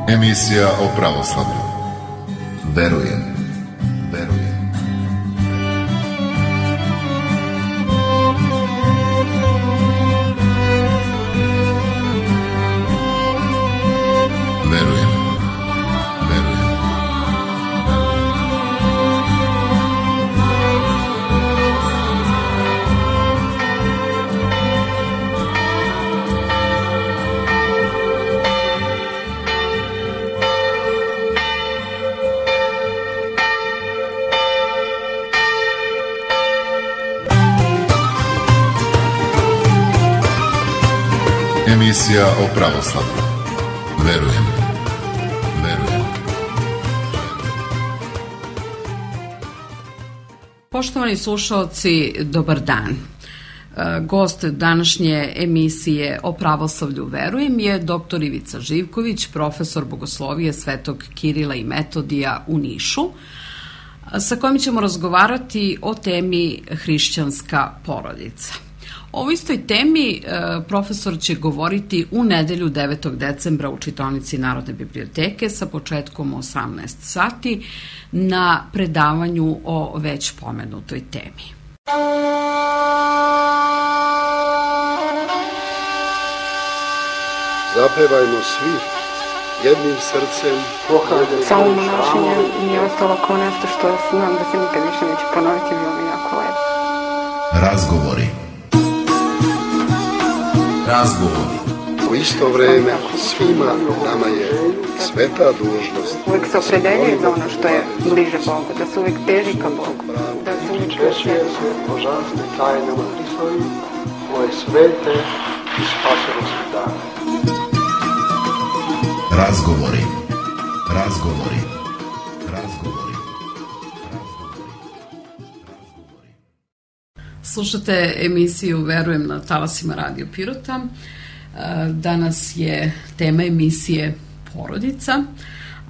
Emisija o pravoslavlju. Verujem. Emisija o pravoslavlju. Verujem. Poštovani slušalci, dobar dan. Gost današnje emisije o pravoslavlju Verujem je dr. Ivica Živković, profesor bogoslovije Svetog Kirila i Metodija u Nišu, sa kojim ćemo razgovarati o temi hrišćanska porodica. O ovoj istoj temi profesor će govoriti u nedelju 9. decembra u čitaonici Narodne biblioteke sa početkom 18 sati na predavanju o već pomenutoj temi. Zapevajmo svi jednim srcem. Samo monašenje mi je ostalo kao nešto što znam da se nikad više neće ponoviti, bilo mi jako lepo. Razgovori. U isto vreme svima nama je sveta dužnost. Uvijek se opredeljuje za ono što je bliže Bogu, da se uvijek teži ka Bogu, da se uvijek češće se božanstve tajnama Hristovi, koje svete i spasenosti dane. Razgovori. Slušate emisiju Verujem na talasima Radio Pirota. Danas je tema emisije porodica,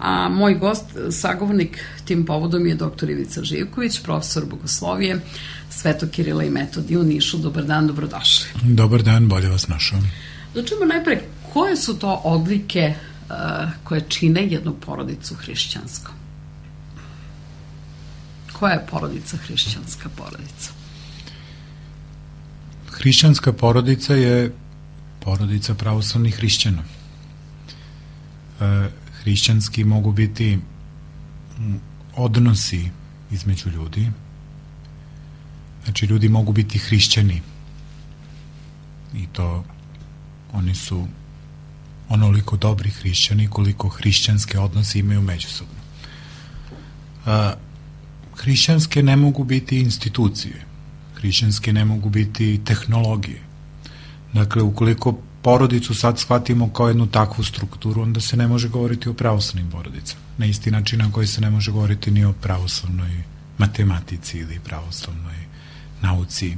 a moj gost, sagovornik tim povodom je dr. Ivica Živković, profesor bogoslovije Svetog Kirila i Metodija u Nišu. Dobar dan, dobrodošli. Dobar dan, bolje vas našao. Začnemo najpre, koje su to odlike koje čine jednu porodicu hrišćanskom? Koja je porodica hrišćanska porodica? Hrišćanska porodica je porodica pravoslavnih hrišćana. Hrišćanski mogu biti odnosi između ljudi. Znači, ljudi mogu biti hrišćani i to oni su onoliko dobri hrišćani koliko hrišćanske odnose imaju međusobno. Hrišćanske ne mogu biti institucije. Hrišćanske ne mogu biti tehnologije. Dakle, ukoliko porodicu sad shvatimo kao jednu takvu strukturu, onda se ne može govoriti o pravoslavnim porodicama. Na isti način na koji se ne može govoriti ni o pravoslavnoj matematici ili pravoslavnoj nauci.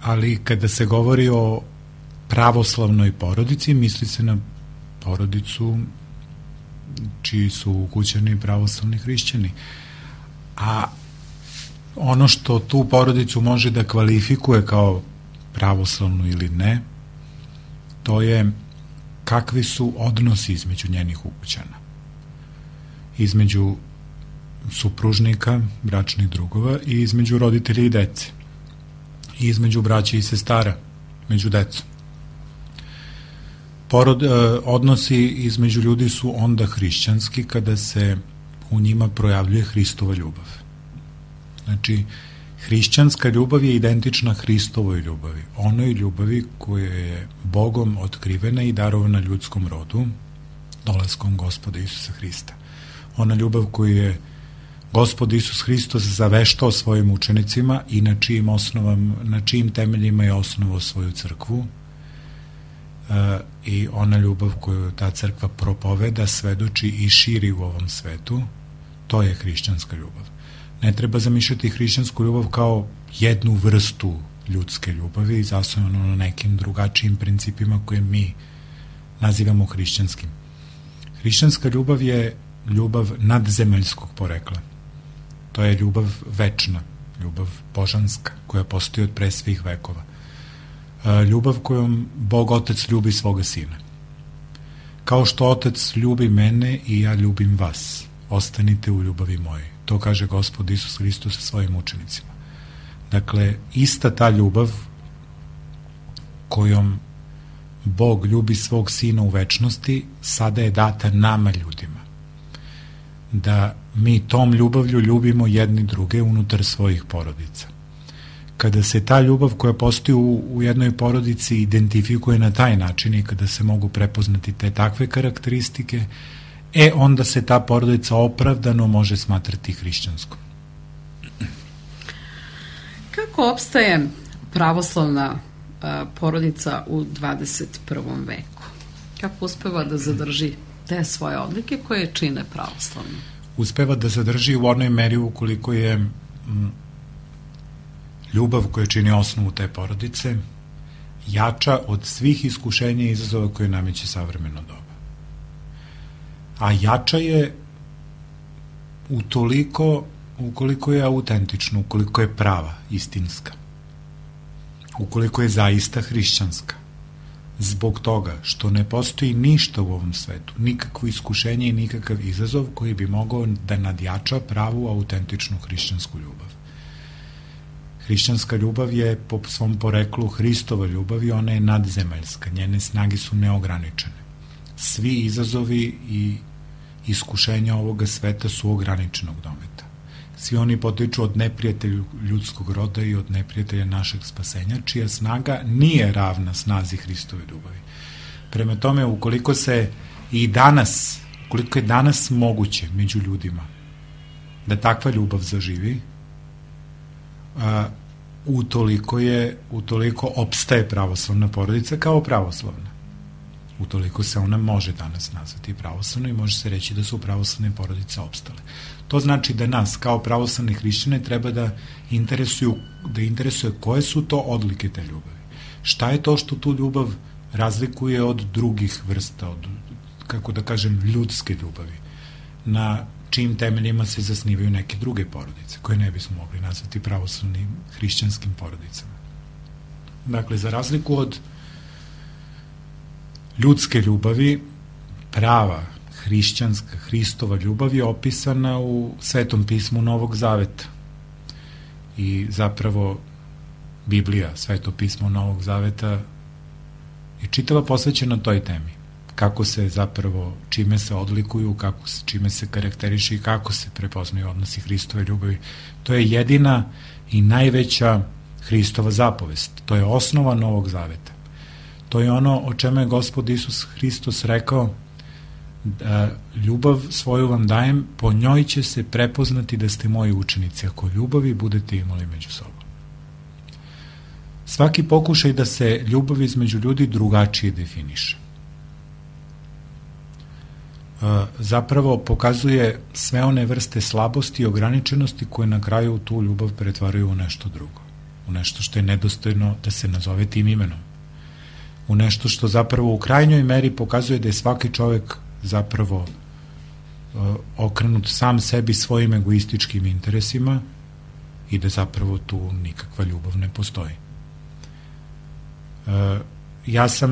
Ali kada se govori o pravoslavnoj porodici, misli se na porodicu čiji su ukućani pravoslavni hrišćani. A ono što tu porodicu može da kvalifikuje kao pravoslavnu ili ne, to je kakvi su odnosi između njenih ukućana. Između supružnika, bračnih drugova i između roditelja i dece. I između braće i sestara, među decom. Odnosi između ljudi su onda hrišćanski kada se u njima projavljuje Hristova ljubav. Znači, hrišćanska ljubav je identična Hristovoj ljubavi, onoj ljubavi koja je Bogom otkrivena i darovana ljudskom rodu dolaskom Gospoda Isusa Hrista. Ona ljubav koju je Gospod Isus Hristos zaveštao svojim učenicima i na čijim temeljima je osnovao svoju crkvu, i ona ljubav koju ta crkva propoveda, svedoči i širi u ovom svetu, to je hrišćanska ljubav. Ne treba zamišljati hrišćansku ljubav kao jednu vrstu ljudske ljubavi zasnovano na nekim drugačijim principima koje mi nazivamo hrišćanskim. Hrišćanska ljubav je ljubav nadzemaljskog porekla. To je ljubav večna, ljubav božanska, koja postoji od pre svih vekova. Ljubav kojom Bog Otac ljubi svoga Sina. kao što Otac ljubi mene i ja ljubim vas, ostanite u ljubavi mojoj. To kaže Gospod Isus Hristos sa svojim učenicima. Dakle, ista ta ljubav kojom Bog ljubi svog Sina u večnosti, sada je data nama ljudima. Da mi tom ljubavlju ljubimo jedni druge unutar svojih porodica. Kada se ta ljubav koja postoji u jednoj porodici identifikuje na taj način i kada se mogu prepoznati te takve karakteristike, onda se ta porodica opravdano može smatrati hrišćanskom. Kako opstaje pravoslavna porodica u 21. veku? Kako uspeva da zadrži te svoje odlike koje čine pravoslavno? Uspeva da zadrži u onoj meri ukoliko je ljubav koja čini osnovu te porodice jača od svih iskušenja i izazova koje nameće savremeno doba. A jača je ukoliko je autentična, ukoliko je prava, istinska, ukoliko je zaista hrišćanska. Zbog toga što ne postoji ništa u ovom svetu, nikakvo iskušenje i nikakav izazov koji bi mogao da nadjača pravu, autentičnu hrišćansku ljubav. Hrišćanska ljubav je po svom poreklu Hristova ljubav i ona je nadzemaljska, njene snage su neograničene. Svi izazovi i iskušenja ovoga sveta su ograničenog dometa. Svi oni potiču od neprijatelja ljudskog roda i od neprijatelja našeg spasenja, čija snaga nije ravna snazi Hristove ljubavi. Prema tome, ukoliko je danas moguće među ljudima da takva ljubav zaživi, utoliko opstaje pravoslavna porodica kao pravoslavna. Utoliko se ona može danas nazvati pravoslavno i može se reći da su pravoslavne porodice opstale. To znači da nas kao pravoslavne hrišćane treba da interesuje koje su to odlike te ljubavi. Šta je to što tu ljubav razlikuje od drugih vrsta, od, kako da kažem, ljudske ljubavi, na čijim temeljima se zasnivaju neke druge porodice, koje ne bismo mogli nazvati pravoslavnim hrišćanskim porodicama. Dakle, za razliku od ljudske ljubavi, prava hrišćanska, Hristova ljubav je opisana u Svetom pismu Novog Zaveta. I zapravo Biblija, Sveto pismo Novog Zaveta, je čitava posvećena toj temi. Kako se zapravo, čime se odlikuju, čime se karakteriše i kako se prepoznaju odnosi Hristove ljubavi. To je jedina i najveća Hristova zapovest. To je osnova Novog Zaveta. To je ono o čemu je Gospod Isus Hristos rekao: ljubav svoju vam dajem, po njoj će se prepoznati da ste moji učenici, ako ljubavi budete imali među sobom. Svaki pokušaj da se ljubav između ljudi drugačije definiše zapravo pokazuje sve one vrste slabosti i ograničenosti koje na kraju tu ljubav pretvaraju u nešto drugo, u nešto što je nedostojno da se nazove tim imenom, u nešto što zapravo u krajnjoj meri pokazuje da je svaki čovek zapravo okrenut sam sebi, svojim egoističkim interesima i da zapravo tu nikakva ljubav ne postoji.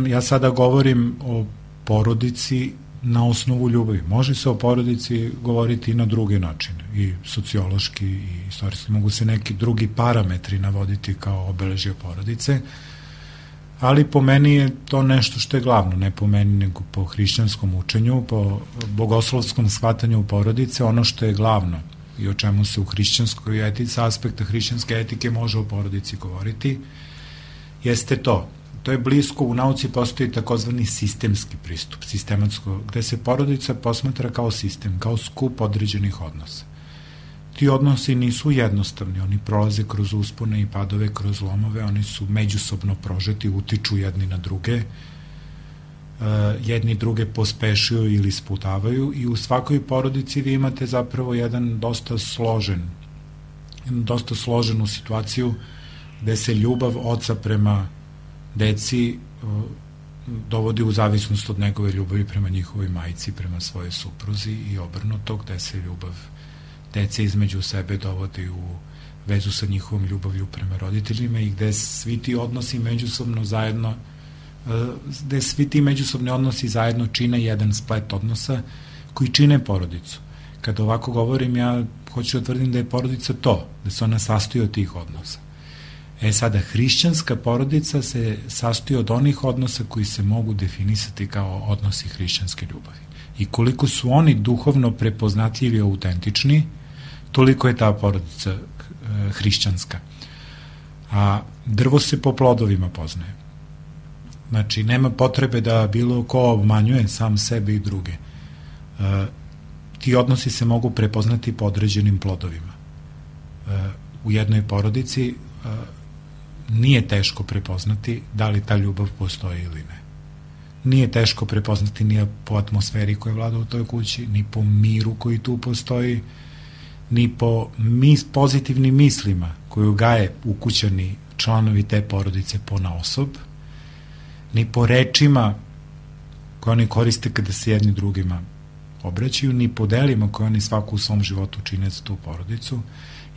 Ja sada govorim o porodici na osnovu ljubavi. Može se o porodici govoriti i na druge načine, i sociološki i istorijski. Mogu se neki drugi parametri navoditi kao obeležje porodice, ali po meni je to nešto što je glavno, ne po meni, nego po hrišćanskom učenju, po bogoslovskom shvatanju porodice. Ono što je glavno i o čemu se u hrišćanskoj etici, sa aspekta hrišćanske etike može o porodici govoriti, jeste to. To je blisko, u nauci postoji takozvani sistemski pristup, sistematsko, gde se porodica posmatra kao sistem, kao skup određenih odnosa. Ti odnosi nisu jednostavni, oni prolaze kroz uspone i padove, kroz lomove, oni su međusobno prožeti, utiču jedni na druge, jedni druge pospešuju ili sputavaju i u svakoj porodici vi imate zapravo jedan dosta složenu situaciju gde se ljubav oca prema deci dovodi u zavisnost od njegove ljubavi prema njihovoj majci, prema svojoj supruzi i obrnuto, gde se ljubav dece između sebe dovodi u vezu sa njihovom ljubavlju prema roditeljima i gde svi ti odnosi međusobno zajedno gde svi ti međusobni odnosi zajedno čine jedan splet odnosa koji čine porodicu. Kada ovako govorim, ja hoću da tvrdim da je porodica to, da se ona sastoji od tih odnosa. Sada, hrišćanska porodica se sastoji od onih odnosa koji se mogu definisati kao odnosi hrišćanske ljubavi. I koliko su oni duhovno prepoznatljivi i autentični, toliko je ta porodica hrišćanska. A drvo se po plodovima poznaje. Znači, nema potrebe da bilo ko obmanjuje sam sebe i druge. Ti odnosi se mogu prepoznati po određenim plodovima. U jednoj porodici nije teško prepoznati da li ta ljubav postoji ili ne. Nije teško prepoznati ni po atmosferi koja vlada u toj kući, ni po miru koji tu postoji, ni po pozitivnim mislima koju gaje ukućani članovi te porodice ponaosob, ni po rečima koje oni koriste kada se jedni drugima obraćaju, ni po delima koje oni svaku u svom životu čine za tu porodicu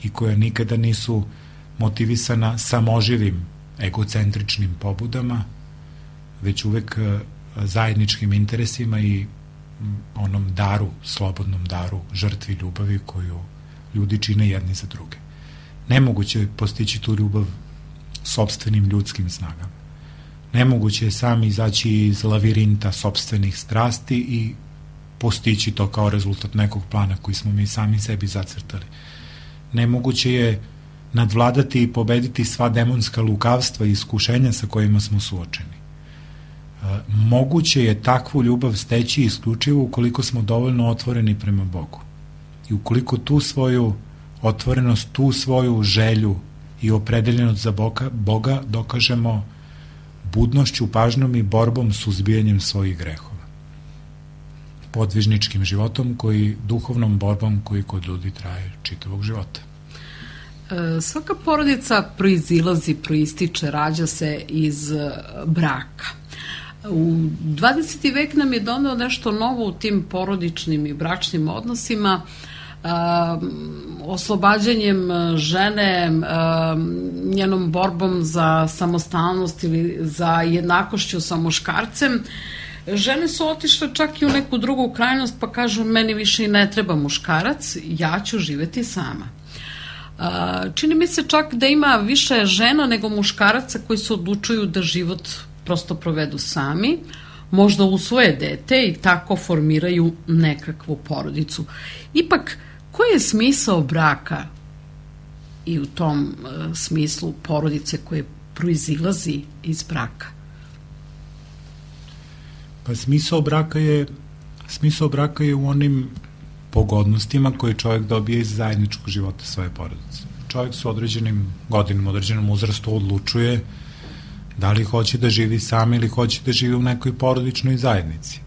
i koja nikada nisu motivisana samoživim egocentričnim pobudama, već uvek zajedničkim interesima i onom daru, slobodnom daru, žrtvi ljubavi koju ljudi čine jedni za druge. Nemoguće je postići tu ljubav sopstvenim ljudskim snagama. Nemoguće je sam izaći iz lavirinta sopstvenih strasti i postići to kao rezultat nekog plana koji smo mi sami sebi zacrtali. Nemoguće je nadvladati i pobediti sva demonska lukavstva i iskušenja sa kojima smo suočeni. Moguće je takvu ljubav steći isključivo ukoliko smo dovoljno otvoreni prema Bogu. I ukoliko tu svoju otvorenost, tu svoju želju i opredeljenost za Boga dokažemo budnošću, pažnjom i borbom s uzbijanjem svojih grehova. Podvižničkim životom, duhovnom borbom koji kod ljudi traje čitavog života. Svaka porodica proističe, rađa se iz braka. U 20. vek nam je doneo nešto novo u tim porodičnim i bračnim odnosima, oslobađanjem žene, njenom borbom za samostalnost ili za jednakošću sa muškarcem. Žene su otišle čak i u neku drugu krajnost, pa kažu, meni više i ne treba muškarac, ja ću živeti sama. Čini mi se čak da ima više žena nego muškaraca koji se odlučuju da život prosto provedu sami, možda usvoje dete i tako formiraju nekakvu porodicu. Ipak, koji je smisao braka i u tom smislu porodice koje proizilazi iz braka? Pa smisao braka je u onim pogodnostima koje čovjek dobije iz zajedničkog života svoje porodice. Čovjek su određenim godinama, određenom uzrastu odlučuje da li hoće da živi sam ili hoće da živi u nekoj porodičnoj zajednici.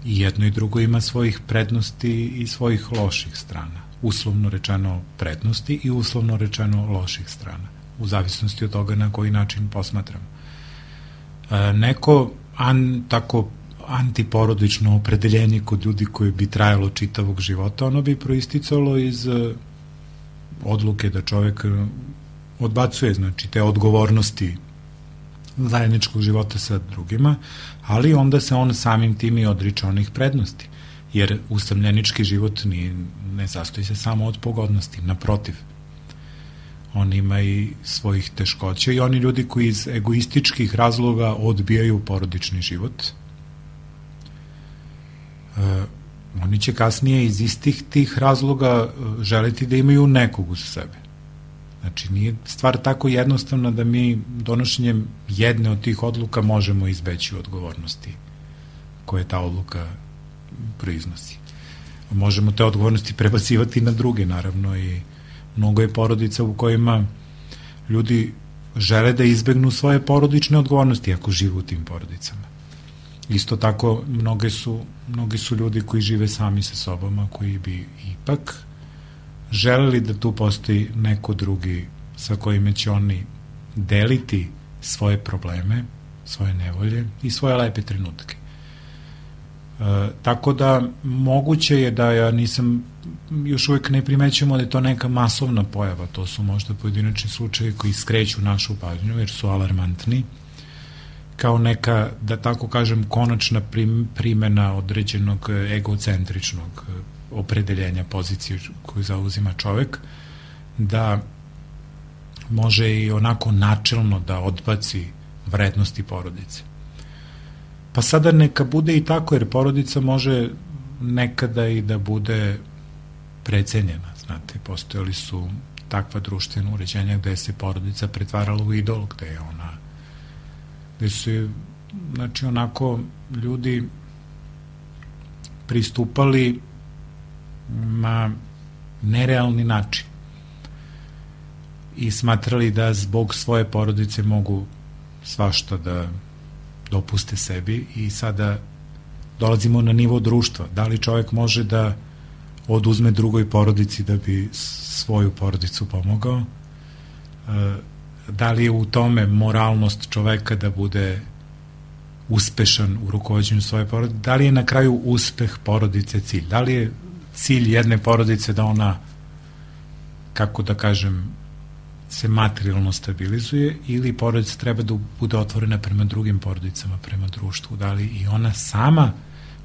I jedno i drugo ima svojih prednosti i svojih loših strana. Uslovno rečeno prednosti i uslovno rečeno loših strana. U zavisnosti od toga na koji način posmatramo. Neko tako antiporodično opredeljenje kod ljudi koji bi trajalo čitavog života, ono bi proisticalo iz odluke da čovjek odbacuje, znači, te odgovornosti zajedničkog života sa drugima, ali onda se on samim tim i odriče onih prednosti, jer usamljenički život ne sastoji se samo od pogodnosti, naprotiv. On ima i svojih teškoća i oni ljudi koji iz egoističkih razloga odbijaju porodični život, oni će kasnije iz istih tih razloga želiti da imaju nekog uz sebe. Znači, nije stvar tako jednostavna da mi donošenjem jedne od tih odluka možemo izbeći odgovornosti koje ta odluka proiznosi. Možemo te odgovornosti prebacivati na druge, naravno, i mnogo je porodica u kojima ljudi žele da izbegnu svoje porodične odgovornosti ako žive u tim porodicama. Isto tako, mnogi su ljudi koji žive sami sa sobom, a koji bi ipak želeli da tu postoji neko drugi sa kojima će oni deliti svoje probleme, svoje nevolje i svoje lepe trenutke. Tako da moguće je da još uvek ne primećujemo da je to neka masovna pojava, to su možda pojedinačni slučajevi koji skreću našu pažnju jer su alarmantni, kao neka, da tako kažem, konačna primena određenog egocentričnog opredeljenja pozicije koju zauzima čovek, da može i onako načelno da odbaci vrednosti porodice. Pa sada neka bude i tako, jer porodica može nekada i da bude precenjena. Znate, postojali su takva društvena uređenja gde se porodica pretvarala u idol, gde su, znači, onako ljudi pristupali na nerealni način i smatrali da zbog svoje porodice mogu svašta da dopuste sebi. I sada dolazimo na nivo društva. Da li čovjek može da oduzme drugoj porodici da bi svoju porodicu pomogao? Da li je u tome moralnost čoveka da bude uspešan u rukovođenju svoje porodice? Da li je na kraju uspeh porodice cilj? Da li je cilj jedne porodice da ona, kako da kažem, se materijalno stabilizuje, ili porodica treba da bude otvorena prema drugim porodicama, prema društvu? Da li i ona sama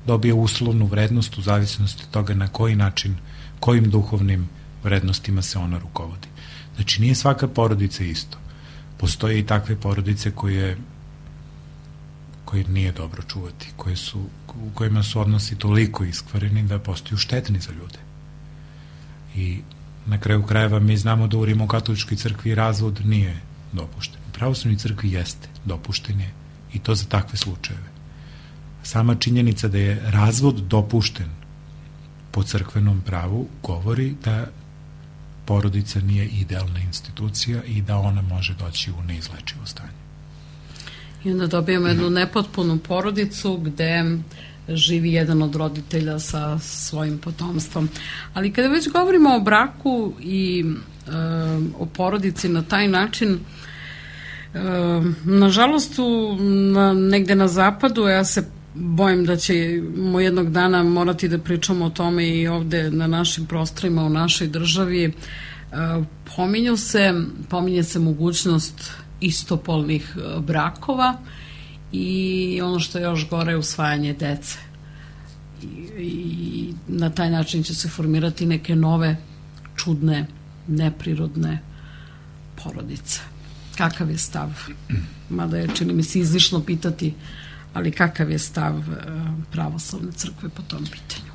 dobije uslovnu vrednost u zavisnosti od toga na koji način, kojim duhovnim vrednostima se ona rukovodi? Znači, nije svaka porodica isto. Postoje i takve porodice koje nije dobro čuvati, u kojima su odnosi toliko iskvareni da postaju štetni za ljude. I na kraju krajeva mi znamo da u Rimokatoličkoj crkvi razvod nije dopušten. U pravoslavnoj crkvi jeste, dopušten je, i to za takve slučajeve. Sama činjenica da je razvod dopušten po crkvenom pravu govori da porodica nije idealna institucija i da ona može doći u neizlečivo stanje. I onda dobijemo jednu nepotpunu porodicu gde živi jedan od roditelja sa svojim potomstvom. Ali kada već govorimo o braku i o porodici na taj način, nažalost negde na zapadu, ja se bojim da ćemo jednog dana morati da pričamo o tome i ovde na našim prostorima, u našoj državi, pominje se mogućnost istopolnih brakova i ono što je još gore, usvajanje dece. I na taj način će se formirati neke nove, čudne, neprirodne porodice. Kakav je stav? Mada je, čini mi se, izlišno pitati, ali kakav je stav pravoslavne crkve po tom pitanju?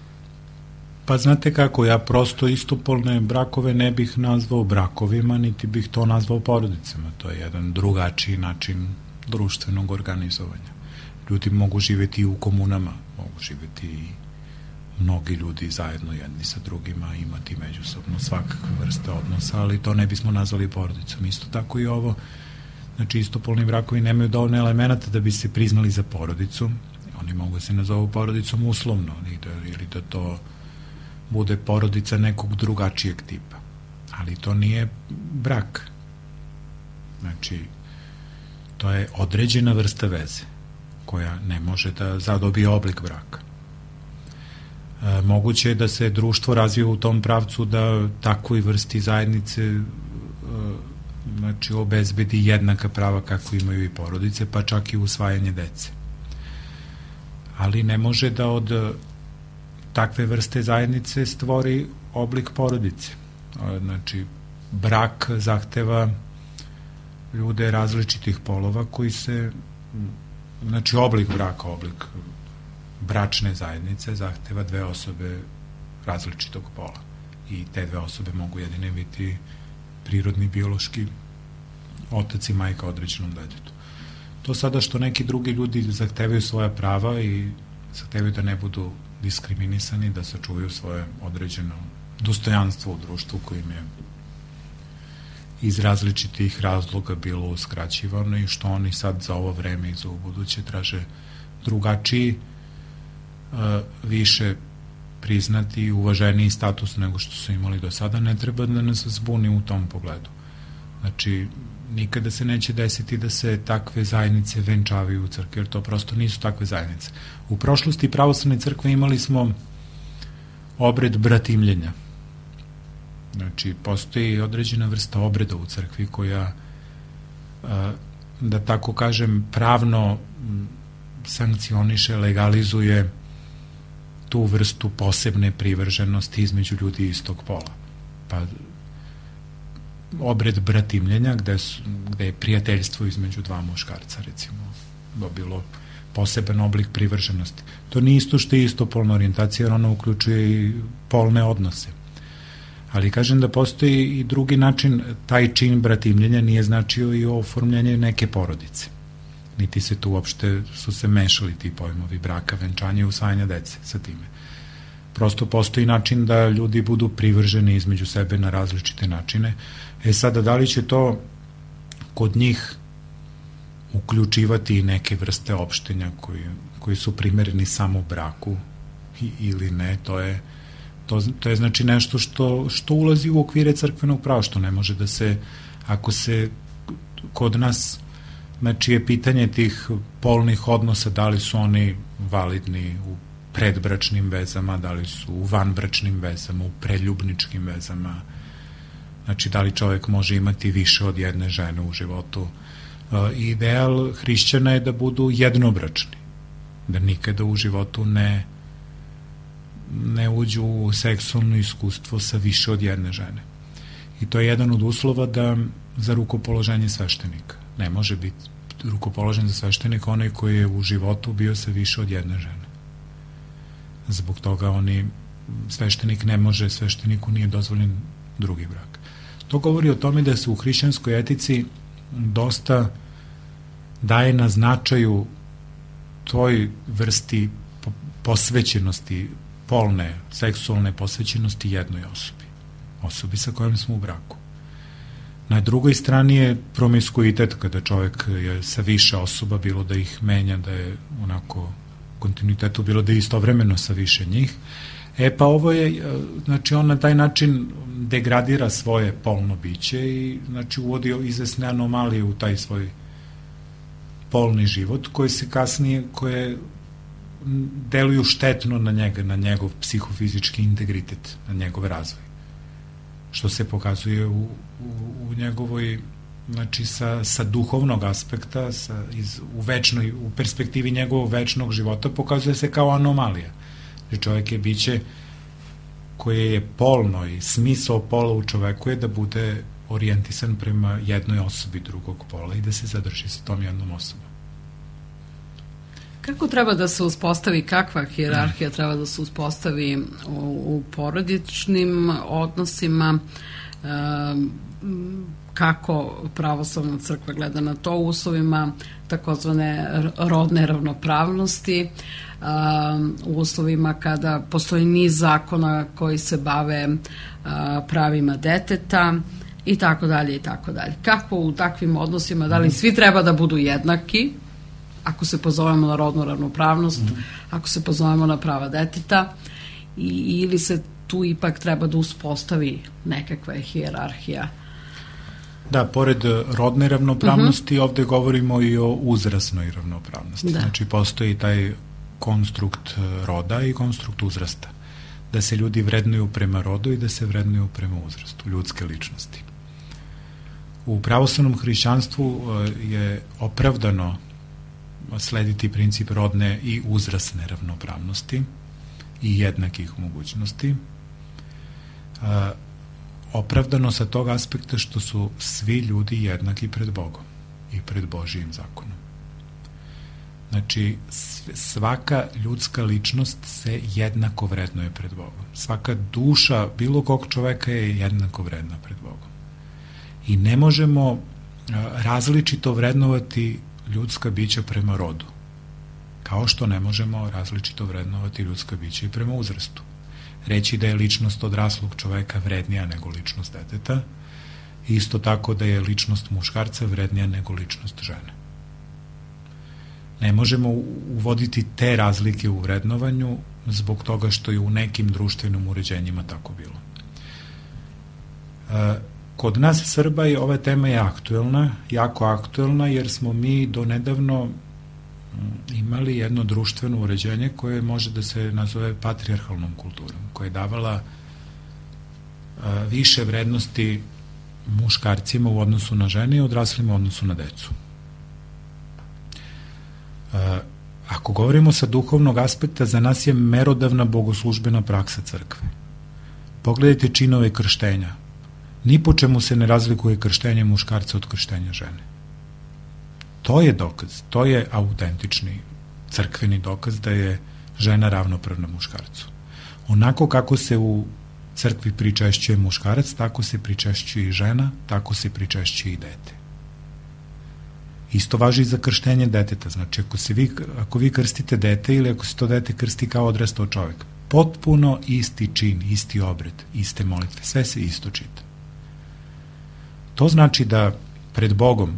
Pa znate kako, ja prosto istopolne brakove ne bih nazvao brakovima, niti bih to nazvao porodicama. To je jedan drugačiji način društvenog organizovanja. Ljudi mogu živeti i u komunama, mogu živeti i mnogi ljudi zajedno jedni sa drugima, imati međusobno svakakve vrste odnosa, ali to ne bismo nazvali porodicom. Isto tako i ovo, znači istopolni brakovi nemaju dovoljno elemenata da bi se priznali za porodicu. Oni mogu se nazovu porodicom uslovno, ili da to bude porodica nekog drugačijeg tipa. Ali to nije brak. Znači, to je određena vrsta veze koja ne može da zadobije oblik braka. Moguće je da se društvo razvije u tom pravcu da takvoj vrsti zajednice znači obezbedi jednaka prava kako imaju i porodice, pa čak i usvajanje dece. Ali ne može da od takve vrste zajednice stvori oblik porodice. Znači, brak zahteva ljude različitih polova koji se, znači oblik braka, oblik bračne zajednice zahteva dve osobe različitog pola i te dve osobe mogu jedine biti prirodni, biološki otac i majka određenom detetu. To sada što neki drugi ljudi zahtevaju svoja prava i zahtevaju da ne budu diskriminisani, da sačuvaju svoje određeno dostojanstvo u društvu kojim je iz različitih razloga bilo uskraćivano i što oni sad za ovo vreme i za ubuduće traže drugačiji, više priznati i uvaženiji status nego što su imali do sada, ne treba da nas zbuni u tom pogledu. Znači, nikada se neće desiti da se takve zajednice venčavaju u crkvi, jer to prosto nisu takve zajednice. U prošlosti pravoslavne crkve imali smo obred bratimljenja. Znači, postoji određena vrsta obreda u crkvi koja da tako kažem, pravno sankcioniše, legalizuje tu vrstu posebne privrženosti između ljudi istog pola. Pa obred bratimljenja, gde je prijateljstvo između dva muškarca, recimo, dobilo poseban oblik privrženosti. To nije isto što je istopolna orijentacija, jer ona uključuje i polne odnose. Ali kažem da postoji i drugi način, taj čin bratimljenja nije značio i oformljanje neke porodice. Niti se tu uopšte su se mešali ti pojmovi braka, venčanja i usvajanja dece sa time. Prosto postoji način da ljudi budu privrženi između sebe na različite načine. Sada, da li će to kod njih uključivati i neke vrste opštenja koji su primereni samo braku ili ne, to je znači nešto što ulazi u okvire crkvenog prava, što ne može da se, ako se kod nas, znači je pitanje tih polnih odnosa, da li su oni validni u predbračnim vezama, da li su u vanbračnim vezama, u preljubničkim vezama, znači da li čovek može imati više od jedne žene u životu. Ideal hrišćana je da budu jednobračni, da nikada u životu ne uđu u seksualno iskustvo sa više od jedne žene. I to je jedan od uslova za rukopoloženje sveštenika. Ne može biti rukopoložen za sveštenika onaj koji je u životu bio sa više od jedne žene. Zbog toga svešteniku nije dozvoljen drugi brak. To govori o tome da se u hrišćanskoj etici dosta daje na značaju toj vrsti posvećenosti, polne, seksualne posvećenosti jednoj osobi sa kojom smo u braku. Na drugoj strani je promiskuitet, kada čovek je sa više osoba, bilo da ih menja, da je onako kontinuitetu, bilo da je istovremeno sa više njih. Pa ovo je, znači on na taj način degradira svoje polno biće i znači uvodi izvesne anomalije u taj svoj polni život koje deluju štetno na njega, na njegov psihofizički integritet, na njegov razvoj. Što se pokazuje u njegovoj, znači sa duhovnog aspekta, u perspektivi njegovog večnog života, pokazuje se kao anomalija. Znači čovjek je biće koje je polno i smisao pola u čoveku je da bude orijentisan prema jednoj osobi drugog pola i da se zadrži sa tom jednom osobom. Kako treba da se uspostavi, kakva hijerarhija treba da se uspostavi u porodičnim odnosima, kako pravoslavna crkva gleda na to u uslovima takozvane rodne ravnopravnosti, u uslovima kada postoji niz zakona koji se bave pravima deteta i tako dalje i tako dalje. Kako u takvim odnosima, da li svi treba da budu jednaki, ako se pozovemo na rodnu ravnopravnost, ako se pozovemo na prava deteta, ili se tu ipak treba da uspostavi nekakva hijerarhija? Da, pored rodne ravnopravnosti, ovde govorimo i o uzrasnoj ravnopravnosti. Da. Znači, postoji taj konstrukt roda i konstrukt uzrasta. Da se ljudi vrednuju prema rodu i da se vrednuju prema uzrastu, ljudske ličnosti. U pravoslavnom hrišćanstvu je opravdano slediti princip rodne i uzrasne ravnopravnosti i jednakih mogućnosti. Opravdano sa tog aspekta što su svi ljudi jednaki pred Bogom i pred Božijim zakonom. Znači, svaka ljudska ličnost se jednako vrednuje pred Bogom. Svaka duša bilo kog čoveka je jednako vredna pred Bogom. I ne možemo različito vrednovati ljudska bića prema rodu, kao što ne možemo različito vrednovati ljudska bića i prema uzrastu. Reći da je ličnost odraslog čoveka vrednija nego ličnost deteta, isto tako da je ličnost muškarca vrednija nego ličnost žene. Ne možemo uvoditi te razlike u vrednovanju zbog toga što je u nekim društvenim uređenjima tako bilo. Kod nas Srba je ova tema je aktuelna, jako aktuelna, jer smo mi do nedavno imali jedno društveno uređenje koje može da se nazove patrijarhalnom kulturom, koja je davala više vrednosti muškarcima u odnosu na žene i odraslima u odnosu na decu. Ako govorimo sa duhovnog aspekta, za nas je merodavna bogoslužbena praksa crkve. Pogledajte činove krštenja. Ni po čemu se ne razlikuje krštenje muškarca od krštenja žene. To je dokaz, to je autentični crkveni dokaz da je žena ravnopravna muškarcu. Onako kako se u crkvi pričešćuje muškarac, tako se pričešćuje i žena, tako se pričešćuje i dete. Isto važi i za krštenje deteta. Znači, ako vi krstite dete ili ako se to dete krsti kao odrastao čovjek, potpuno isti čin, isti obred, iste molitve, sve se isto čita. To znači da pred Bogom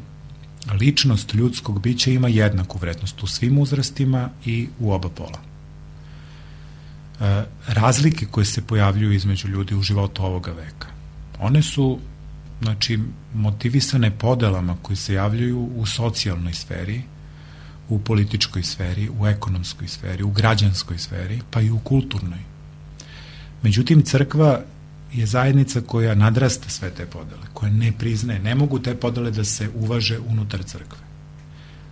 ličnost ljudskog bića ima jednaku vrednost u svim uzrastima i u oba pola. Razlike koje se pojavljuju između ljudi u životu ovoga veka, one su motivisane podelama koje se javljaju u socijalnoj sferi, u političkoj sferi, u ekonomskoj sferi, u građanskoj sferi, pa i u kulturnoj. Međutim, crkva je zajednica koja nadrasta sve te podele, koja ne priznaje, ne mogu te podele da se uvaže unutar crkve.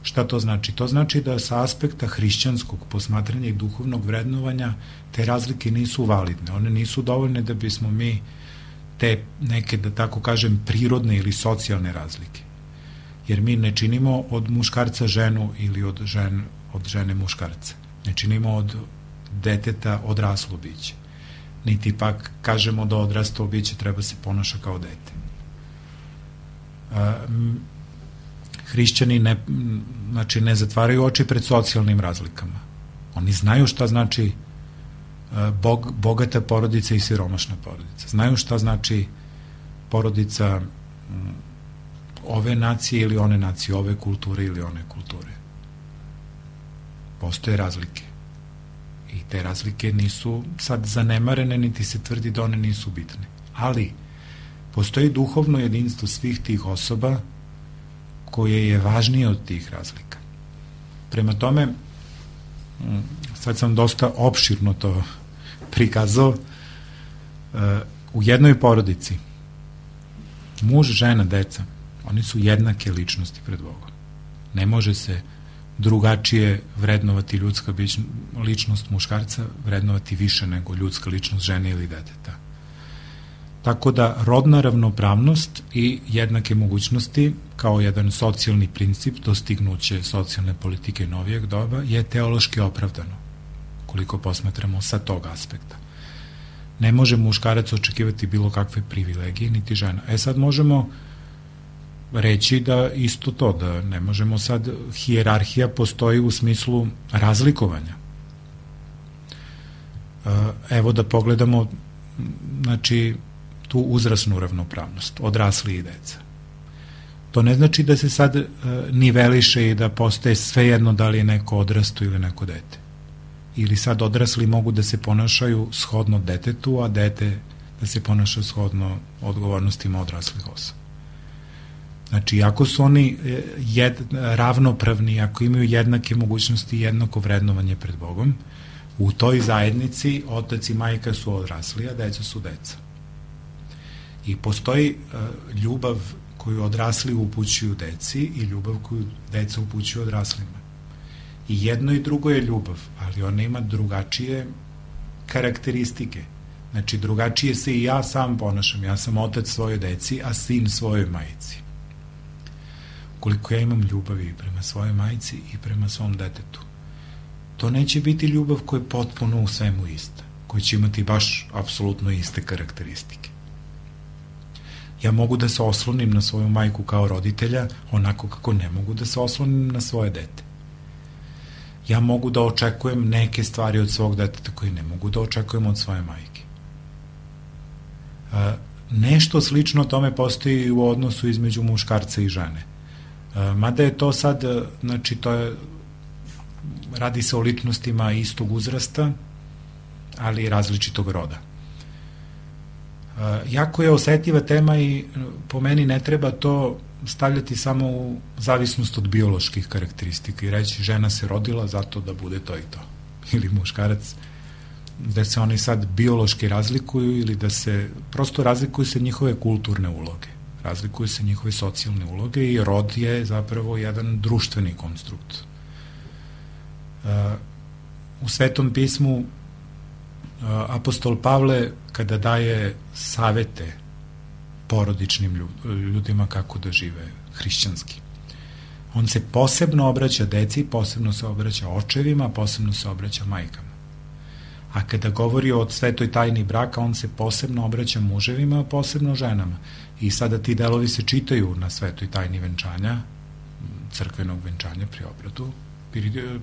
Šta to znači? To znači da sa aspekta hrišćanskog posmatranja i duhovnog vrednovanja te razlike nisu validne, one nisu dovoljne da bismo mi te neke, da tako kažem, prirodne ili socijalne razlike. Jer mi ne činimo od muškarca ženu ili od žene muškarca. Ne činimo od deteta odraslo biće. Niti pak kažemo da odraslo biće treba se ponaša kao dete. Hrišćani ne zatvaraju oči pred socijalnim razlikama. Oni znaju šta znači bogata porodica i siromašna porodica. Znaju šta znači porodica ove nacije ili one nacije, ove kulture ili one kulture. Postoje razlike. I te razlike nisu sad zanemarene, niti se tvrdi da one nisu bitne. Ali postoji duhovno jedinstvo svih tih osoba koje je važnije od tih razlika. Prema tome, sad sam dosta opširno to prikazao, u jednoj porodici muž, žena, deca, oni su jednake ličnosti pred Bogom. Ne može se drugačije vrednovati ljudska ličnost muškarca, vrednovati više nego ljudska ličnost žene ili deteta. Tako da rodna ravnopravnost i jednake mogućnosti kao jedan socijalni princip dostignuće socijalne politike novijeg doba je teološki opravdano, koliko posmatramo sa tog aspekta. Ne može muškarac očekivati bilo kakve privilegije, niti žena. Sad možemo reći da isto to, da ne možemo sad, hijerarhija postoji u smislu razlikovanja. Evo da pogledamo, tu uzrasnu ravnopravnost, odrasli i deca. To ne znači da se sad niveliše i da postaje svejedno da li je neko odrasto ili neko dete. Ili sad odrasli mogu da se ponašaju shodno detetu, a dete da se ponaša shodno odgovornostima odraslih osoba. Znači, ako su oni ravnopravni, ako imaju jednake mogućnosti i jednako vrednovanje pred Bogom, u toj zajednici otac i majka su odrasli, a deca su deca. I postoji ljubav koju odrasli upućuju deci i ljubav koju deca upućuju odraslima. I jedno i drugo je ljubav, ali ona ima drugačije karakteristike. Znači, drugačije se i ja sam ponašam. Ja sam otac svojoj deci, a sin svojoj majici. Koliko ja imam ljubavi prema svojoj majici i prema svom detetu, to neće biti ljubav koja je potpuno u svemu ista, koja će imati baš apsolutno iste karakteristike. Ja mogu da se oslonim na svoju majku kao roditelja, onako kako ne mogu da se oslonim na svoje dete. Ja mogu da očekujem neke stvari od svog deteta koje ne mogu da očekujem od svoje majke. Nešto slično tome postoji u odnosu između muškarca i žene. Mada je to sad, radi se o ličnostima istog uzrasta, ali i različitog roda. Jako je osetljiva tema i po meni ne treba to stavljati samo u zavisnost od bioloških karakteristika i reći žena se rodila zato da bude to i to. Ili muškarac, da se oni sad biološki razlikuju ili da se, prosto razlikuju se njihove kulturne uloge, razlikuju se njihove socijalne uloge i rod je zapravo jedan društveni konstrukt. U Svetom pismu apostol Pavle, kada daje savete porodičnim ljudima kako da žive hrišćanski, on se posebno obraća deci, posebno se obraća očevima, posebno se obraća majkama. A kada govori o svetoj tajni braka, on se posebno obraća muževima, posebno ženama. I sada ti delovi se čitaju na svetoj tajni venčanja, crkvenog venčanja pri obradu.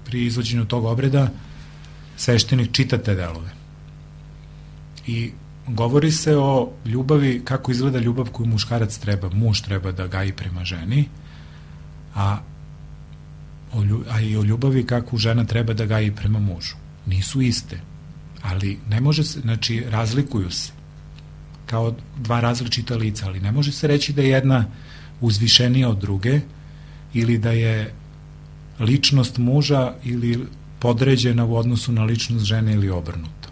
Pri izvođenju tog obreda sveštenik čita te delove. I govori se o ljubavi, kako izgleda ljubav koju muškarac treba, muž treba da gaji prema ženi, a i o ljubavi kako žena treba da gaji prema mužu. Nisu iste, ali ne može se, znači razlikuju se kao dva različita lica, ali ne može se reći da je jedna uzvišenija od druge ili da je ličnost muža ili podređena u odnosu na ličnost žene ili obrnuto.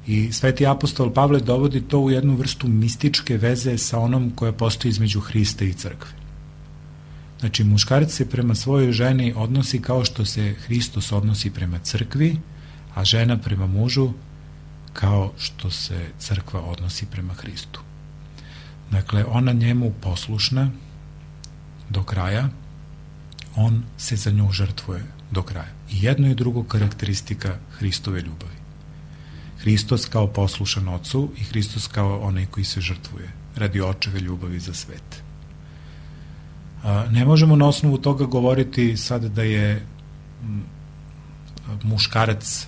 I sveti apostol Pavle dovodi to u jednu vrstu mističke veze sa onom koja postoji između Hrista i crkve. Znači, muškarac se prema svojoj ženi odnosi kao što se Hristos odnosi prema crkvi, a žena prema mužu kao što se crkva odnosi prema Hristu. Dakle, ona njemu poslušna do kraja, on se za nju žrtvuje do kraja. I jedno i drugo karakteristika Hristove ljubavi. Hristos kao poslušan ocu i Hristos kao onaj koji se žrtvuje radi očeve ljubavi za svet. Ne možemo na osnovu toga govoriti sad da je muškarac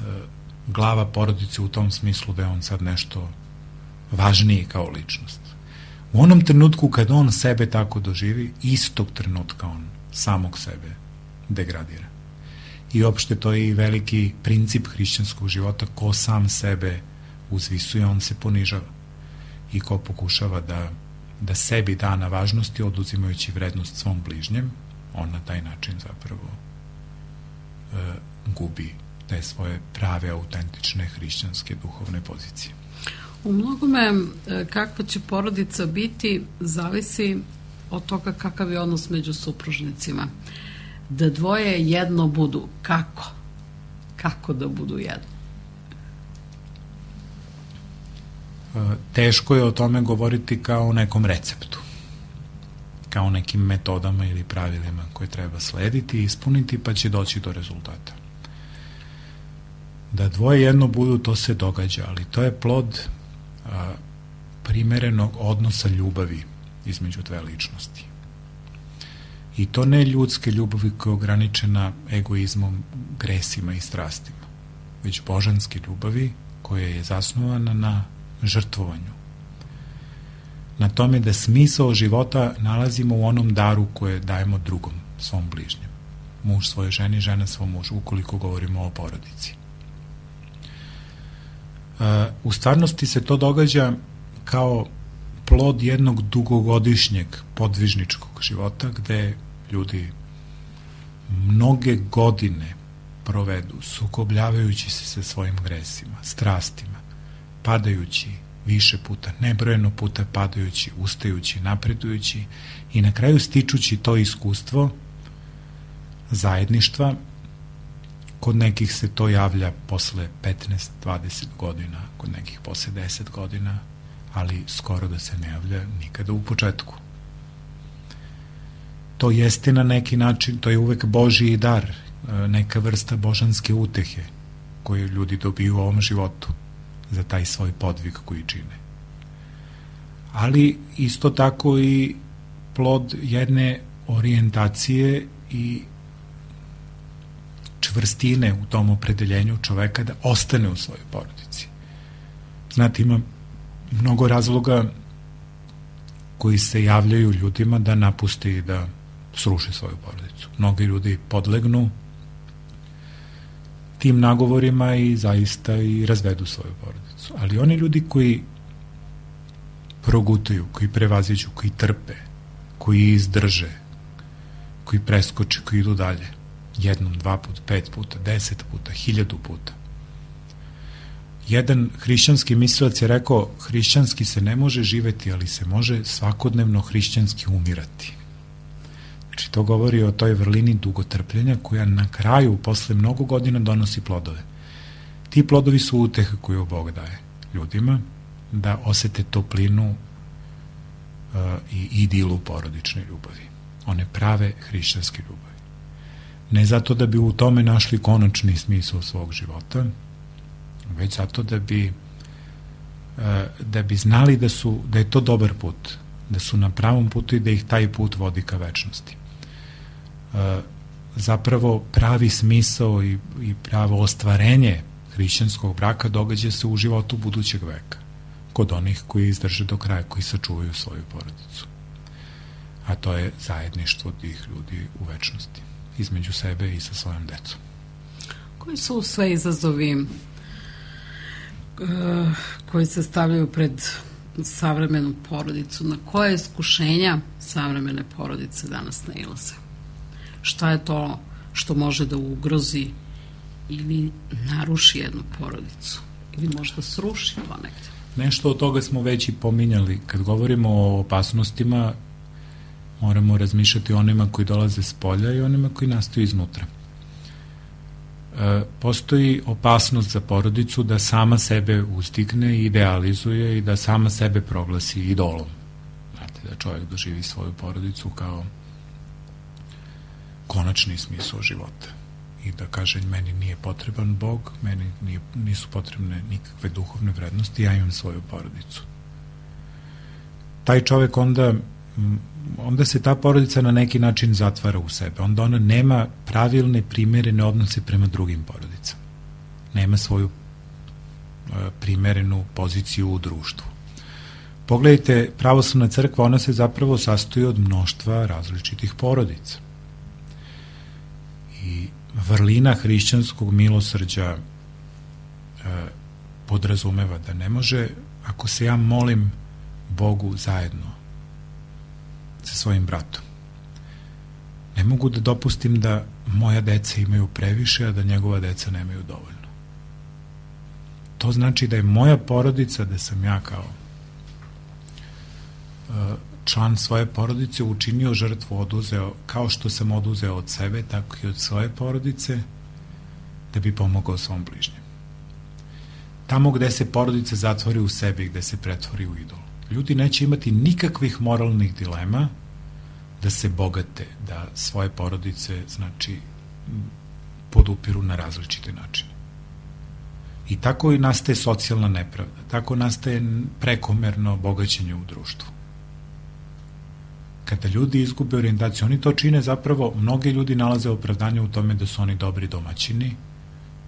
glava porodice u tom smislu da je on sad nešto važniji kao ličnost. U onom trenutku kad on sebe tako doživi, istog trenutka on samog sebe degradira. I opšte to je i veliki princip hrišćanskog života, ko sam sebe uzvisuje, on se ponižava. I ko pokušava da sebi da na važnosti, oduzimajući vrednost svom bližnjem, on na taj način zapravo gubi te svoje prave, autentične hrišćanske duhovne pozicije. U mnogome kakva će porodica biti zavisi od toga kakav je odnos među supružnicima. Da dvoje jedno budu. Kako? Kako da budu jedno? Teško je o tome govoriti kao o nekom receptu, kao nekim metodama ili pravilima koje treba slediti i ispuniti, pa će doći do rezultata. Da dvoje jedno budu, to se događa, ali to je plod primerenog odnosa ljubavi između dve ličnosti. I to ne ljudske ljubavi koja je ograničena egoizmom, gresima i strastima, već božanske ljubavi koja je zasnovana na žrtvovanju. Na tome da smisao života nalazimo u onom daru koje dajemo drugom, svom bližnjem. Muž svoje ženi, žena svom mužu, ukoliko govorimo o porodici. U stvarnosti se to događa kao plod jednog dugogodišnjeg podvižničkog života gde ljudi mnoge godine provedu sukobljavajući se sa svojim gresima, strastima, padajući više puta, nebrojeno puta padajući, ustajući, napredujući i na kraju stičući to iskustvo zajedništva. Kod nekih se to javlja posle 15-20 godina, kod nekih posle 10 godina, ali skoro da se ne javlja nikada u početku. To jeste na neki način, to je uvek Božji dar, neka vrsta božanske utehe koju ljudi dobiju u ovom životu za taj svoj podvig koji čine. Ali isto tako i plod jedne orijentacije i čvrstine u tom opredeljenju čoveka da ostane u svojoj porodici. Znate, ima mnogo razloga koji se javljaju ljudima da napuste i da sruše svoju porodicu. Mnogi ljudi podlegnu tim nagovorima i zaista i razvedu svoju porodicu. Ali oni ljudi koji progutaju, koji prevaziđu, koji trpe, koji izdrže, koji preskoče, koji idu dalje, jednom, 2 puta, 5 puta, 10 puta, 1000 puta. Jedan hrišćanski mislilac je rekao, hrišćanski se ne može živeti, ali se može svakodnevno hrišćanski umirati. Znači, to govori o toj vrlini dugotrpljenja koja na kraju, posle mnogo godina, donosi plodove. Ti plodovi su uteha koju Bog daje ljudima, da osete toplinu i idilu porodične ljubavi. One prave hrišćanske ljubavi. Ne zato da bi u tome našli konačni smisao svog života, već zato da bi znali da je to dobar put, da su na pravom putu i da ih taj put vodi ka večnosti. Zapravo pravi smisao i pravo ostvarenje hrišćanskog braka događa se u životu budućeg veka, kod onih koji izdrže do kraja, koji sačuvaju svoju porodicu. A to je zajedništvo tih ljudi u večnosti, između sebe i sa svojom decom. Koji su sve izazovi koji se stavljaju pred savremenu porodicu? Na koje iskušenja savremene porodice danas nailaze? Šta je to što može da ugrozi ili naruši jednu porodicu? Ili možda sruši ponekde? Nešto od toga smo već i pominjali. Kad govorimo o opasnostima, moramo razmišljati o onima koji dolaze s polja i onima koji nastaju iznutra. Postoji opasnost za porodicu da sama sebe uzdigne i idealizuje i da sama sebe proglasi idolom. Znate, da čovjek doživi svoju porodicu kao konačni smisao života i da kaže meni nije potreban Bog, meni nisu potrebne nikakve duhovne vrednosti, ja imam svoju porodicu. Taj čovjek onda se ta porodica na neki način zatvara u sebe, onda ona nema pravilne, primerene odnose prema drugim porodicama. Nema svoju primerenu poziciju u društvu. Pogledajte, pravoslavna crkva, ona se zapravo sastoji od mnoštva različitih porodica. I vrlina hrišćanskog milosrđa podrazumeva da ne može, ako se ja molim Bogu zajedno sa svojim bratom, ne mogu da dopustim da moja deca imaju previše, a da njegova deca nemaju dovoljno. To znači da je moja porodica, da sam ja kao član svoje porodice učinio žrtvu, oduzeo, kao što sam oduzeo od sebe, tako i od svoje porodice, da bi pomogao svom bližnjem. Tamo gde se porodica zatvori u sebi, gde se pretvori u idol, ljudi neće imati nikakvih moralnih dilema da se bogate, da svoje porodice, znači, podupiru na različite načine. I tako i nastaje socijalna nepravda, tako nastaje prekomerno bogaćenje u društvu. Kada ljudi izgube orijentaciju, oni to čine zapravo, mnogi ljudi nalaze opravdanje u tome da su oni dobri domaćini,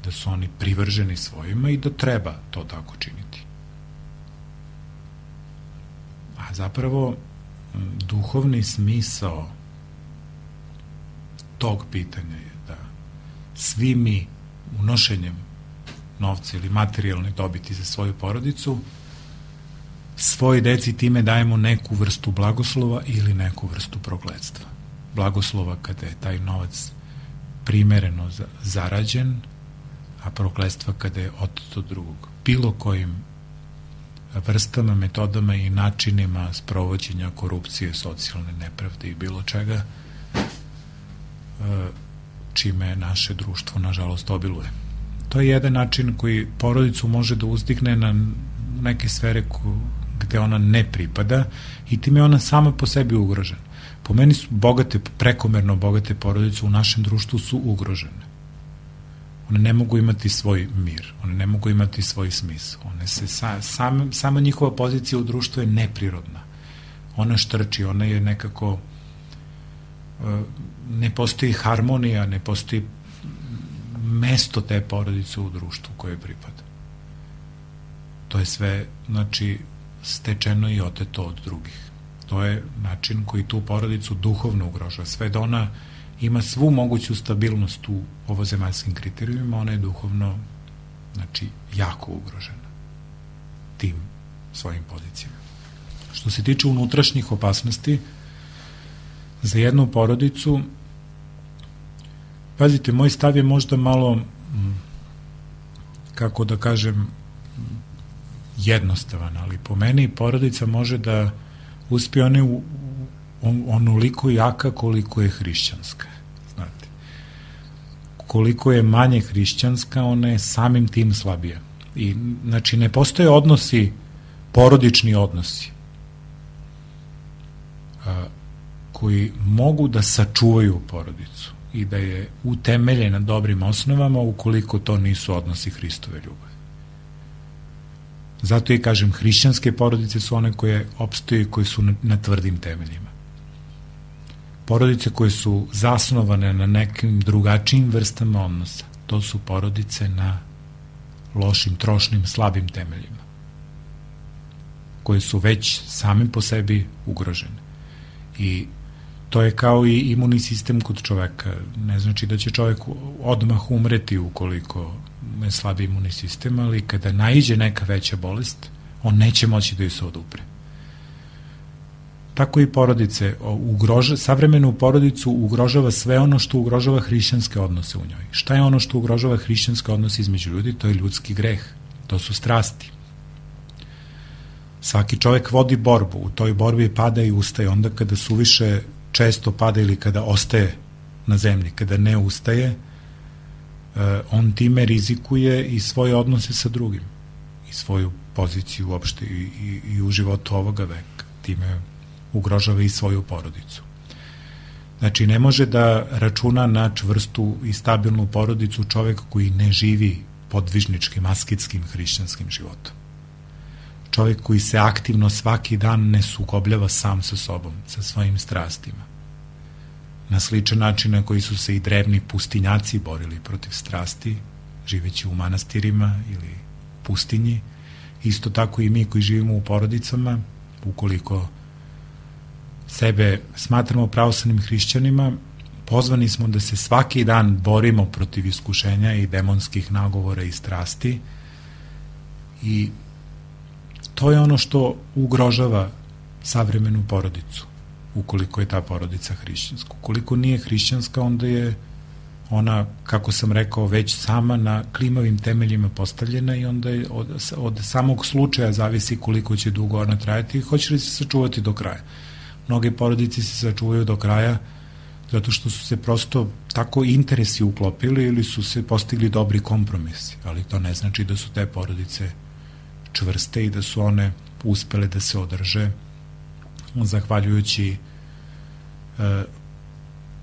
da su oni privrženi svojima i da treba to tako činiti. A zapravo duhovni smisao tog pitanja je da svi mi unošenjem novca ili materijalne dobiti za svoju porodicu svoj deci time dajemo neku vrstu blagoslova ili neku vrstu prokletstva. Blagoslova kada je taj novac primereno zarađen, a prokletstva kada je otet od drugog. Bilo kojim vrstama, metodama i načinima sprovođenja korupcije, socijalne nepravde i bilo čega čime naše društvo nažalost obiluje. To je jedan način koji porodicu može da uzdigne na neke sfere gde ona ne pripada i time je ona sama po sebi ugrožena. Po meni su prekomerno bogate porodice u našem društvu su ugrožene. One ne mogu imati svoj mir, one ne mogu imati svoj smisao. One se sama njihova pozicija u društvu je neprirodna. Ona štrči, ona je nekako ne postoji harmonija, ne postoji mesto te porodice u društvu koje pripada. To je sve, znači, stečeno i oteto od drugih. To je način koji tu porodicu duhovno ugrožava. Sve da ona ima svu moguću stabilnost u ovozemaljskim kriterijumima, ona je duhovno, znači, jako ugrožena tim svojim pozicijama. Što se tiče unutrašnjih opasnosti, za jednu porodicu, pazite, moj stav je možda malo, kako da kažem, jednostavan, ali po meni porodica može da uspije onoliko jaka koliko je hrišćanska. Znate. Koliko je manje hrišćanska, ona je samim tim slabija. I, znači, ne postoje odnosi, porodični odnosi, koji mogu da sačuvaju porodicu i da je utemelje na dobrim osnovama ukoliko to nisu odnosi Hristove ljubavi. Zato i kažem, hrišćanske porodice su one koje opstoje i koje su na tvrdim temeljima. Porodice koje su zasnovane na nekim drugačijim vrstama odnosa, to su porodice na lošim, trošnim, slabim temeljima, koje su već sami po sebi ugrožene. I to je kao i imunni sistem kod čoveka. Ne znači da će čovek odmah umreti ukoliko je slabi imunni sistem, ali kada naiđe neka veća bolest, on neće moći da ju se odupre. Tako i porodice, savremenu porodicu ugrožava sve ono što ugrožava hrišćanske odnose u njoj. Šta je ono što ugrožava hrišćanske odnose između ljudi? To je ljudski greh, to su strasti. Svaki čovek vodi borbu, u toj borbi pada i ustaje. Onda kada suviše često pada ili kada ostaje na zemlji, kada ne ustaje, on time rizikuje i svoje odnose sa drugim i svoju poziciju uopšte i u životu ovoga veka. Time ugrožava i svoju porodicu. Znači, ne može da računa na čvrstu i stabilnu porodicu čovek koji ne živi podvižničkim, asketskim, hrišćanskim životom. Čovjek koji se aktivno svaki dan ne sukobljava sam sa sobom, sa svojim strastima. Na sličan način na koji su se i drevni pustinjaci borili protiv strasti, živeći u manastirima ili pustinji, isto tako i mi koji živimo u porodicama, ukoliko sebe smatramo pravoslavnim hrišćanima, pozvani smo da se svaki dan borimo protiv iskušenja i demonskih nagovora i strasti, i to je ono što ugrožava savremenu porodicu, ukoliko je ta porodica hrišćanska. Ukoliko nije hrišćanska, onda je ona, kako sam rekao, već sama na klimavim temeljima postavljena i onda je od samog slučaja zavisi koliko će dugo ona trajati i hoće li se sačuvati do kraja. Mnoge porodice se sačuvaju do kraja zato što su se prosto tako interesi uklopili ili su se postigli dobri kompromisi, ali to ne znači da su te porodice čvrste i da su one uspele da se održe zahvaljujući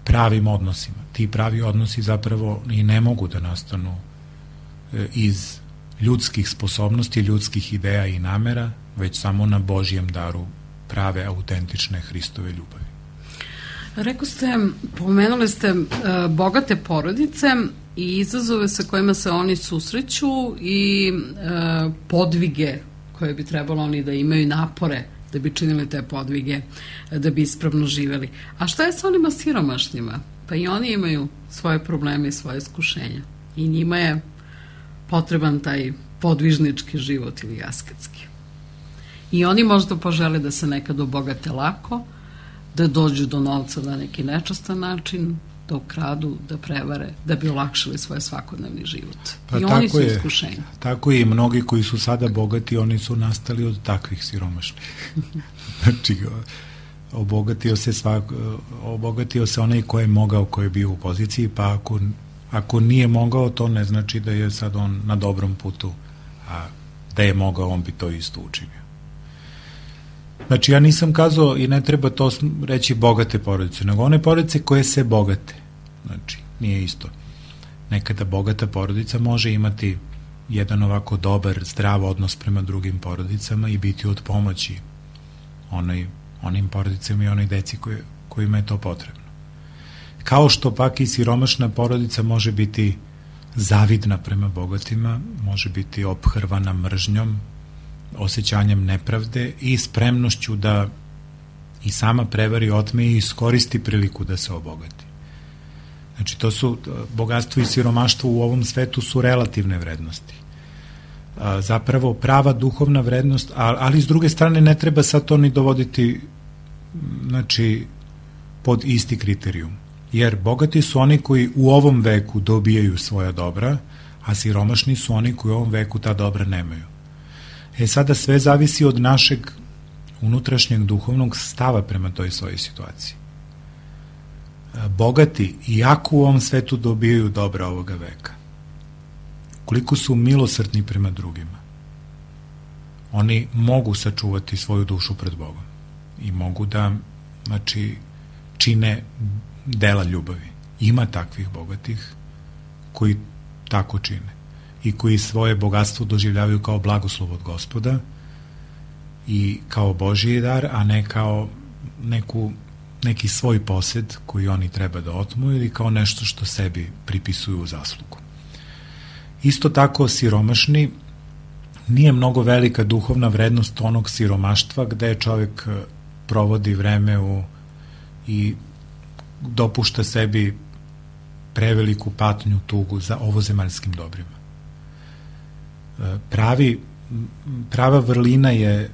pravim odnosima. Ti pravi odnosi zapravo i ne mogu da nastanu iz ljudskih sposobnosti, ljudskih ideja i namera, već samo na Božjem daru prave, autentične Hristove ljubavi. Pomenuli ste bogate porodice i izazove sa kojima se oni susreću i podvige koje bi trebalo oni da imaju, napore da bi činili te podvige, da bi ispravno živeli. A šta je sa onima siromašnima? Pa i oni imaju svoje probleme i svoje iskušenja. I njima je potreban taj podvižnički život ili asketski. I oni možda požele da se nekad obogate lako, da dođu do novca na neki nečastan način, da ukradu, da prevare, da bi olakšali svoj svakodnevni život. Pa i oni su iskušenji. Tako i mnogi koji su sada bogati, oni su nastali od takvih siromašnih. Znači, obogatio se onaj ko je mogao, ko je bio u poziciji, pa ako nije mogao, to ne znači da je sad on na dobrom putu, a da je mogao, on bi to isto učinio. Znači, ja nisam kazao i ne treba to reći bogate porodice, nego one porodice koje se bogate. Znači, nije isto. Nekada bogata porodica može imati jedan ovako dobar, zdrav odnos prema drugim porodicama i biti od pomoći onim porodicama i onoj deci kojima je to potrebno. Kao što pak i siromašna porodica može biti zavidna prema bogatima, može biti ophrvana mržnjom, osjećanjem nepravde i spremnošću da i sama prevari, otme i iskoristi priliku da se obogati. Znači, to su bogatstvo i siromaštvo u ovom svetu su relativne vrednosti. Zapravo prava duhovna vrednost, ali s druge strane ne treba sad to ni dovoditi, znači, pod isti kriterijum. Jer bogati su oni koji u ovom veku dobijaju svoja dobra, a siromašni su oni koji u ovom veku ta dobra nemaju. Sada sve zavisi od našeg unutrašnjeg duhovnog stava prema toj svojoj situaciji. Bogati, iako u ovom svetu dobijaju dobra ovoga veka, koliko su milosrdni prema drugima, oni mogu sačuvati svoju dušu pred Bogom i mogu da, znači, čine dela ljubavi. Ima takvih bogatih koji tako čine i koji svoje bogatstvo doživljavaju kao blagoslov od Gospoda i kao Božji dar, a ne kao neki svoj posed koji oni treba da otmu ili kao nešto što sebi pripisuju u zaslugu. Isto tako siromašni, nije mnogo velika duhovna vrednost onog siromaštva gde čovjek provodi vreme i dopušta sebi preveliku patnju, tugu za ovozemaljskim dobrima. Prava vrlina je